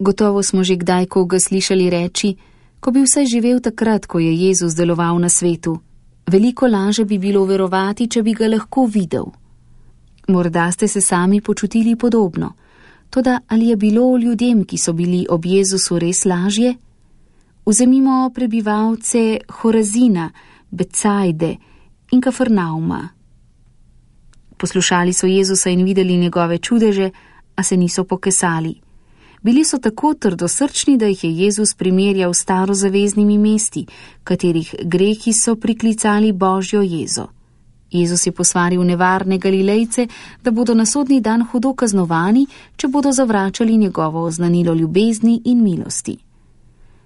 Gotovo smo že kdaj koga slišali reči: ko bi vsaj živel takrat, ko je Jezus deloval na svetu. Veliko laže bi bilo verovati, če bi ga lahko videl. Morda ste se sami počutili podobno. Toda ali je bilo ljudem, ki so bili ob Jezusu, res lažje? Vzemimo prebivalce Horazina, Becajde in Kafarnauma. Poslušali so Jezusa in videli njegove čudeže, a se niso pokesali. Bili so tako trdosrčni, da jih je Jezus primerjal s starozaveznimi mesti, katerih grehi so priklicali Božjo jezo. Jezus je posvaril nevarne Galilejce, da bodo na sodni dan hudo kaznovani, če bodo zavračali njegovo oznanilo ljubezni in milosti.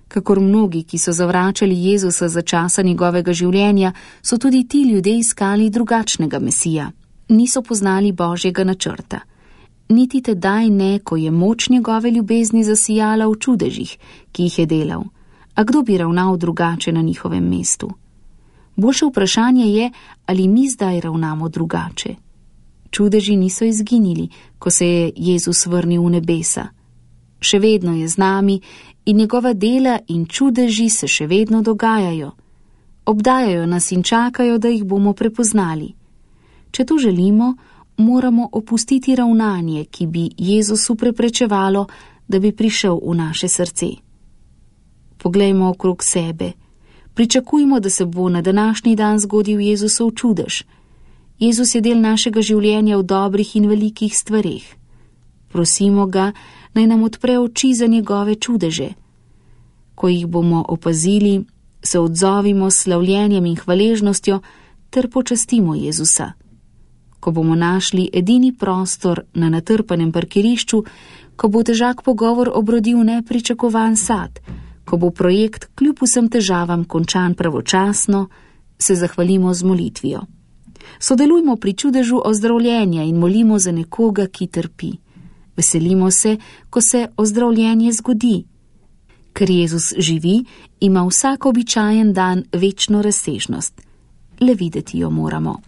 Kakor mnogi, ki so zavračali Jezusa za časa njegovega življenja, so tudi ti ljudje iskali drugačnega Mesija. Niso poznali Božjega načrta. Niti tedaj ne, ko je moč njegove ljubezni zasijala v čudežih, ki jih je delal. A kdo bi ravnal drugače na njihovem mestu? Boljše vprašanje je, ali mi zdaj ravnamo drugače. Čudeži niso izginili, ko se je Jezus vrnil v nebesa. Še vedno je z nami in njegova dela in čudeži se še vedno dogajajo. Obdajajo nas in čakajo, da jih bomo prepoznali. Če to želimo, moramo opustiti ravnanje, ki bi Jezusu preprečevalo, da bi prišel v naše srce. Poglejmo okrog sebe. Pričakujmo, da se bo na današnji dan zgodil Jezusov čudež. Jezus je del našega življenja v dobrih in velikih stvareh. Prosimo ga, naj nam odpre oči za njegove čudeže. Ko jih bomo opazili, se odzovimo s slavljenjem in hvaležnostjo ter počastimo Jezusa. Ko bomo našli edini prostor na natrpanem parkirišču, ko bo težak pogovor obrodil nepričakovan sad, ko bo projekt kljub vsem težavam končan pravočasno, se zahvalimo z molitvijo. Sodelujmo pri čudežu ozdravljenja in molimo za nekoga, ki trpi. Veselimo se, ko se ozdravljenje zgodi. Ker Jezus živi, ima vsak običajen dan večno razsežnost. Le videti jo moramo.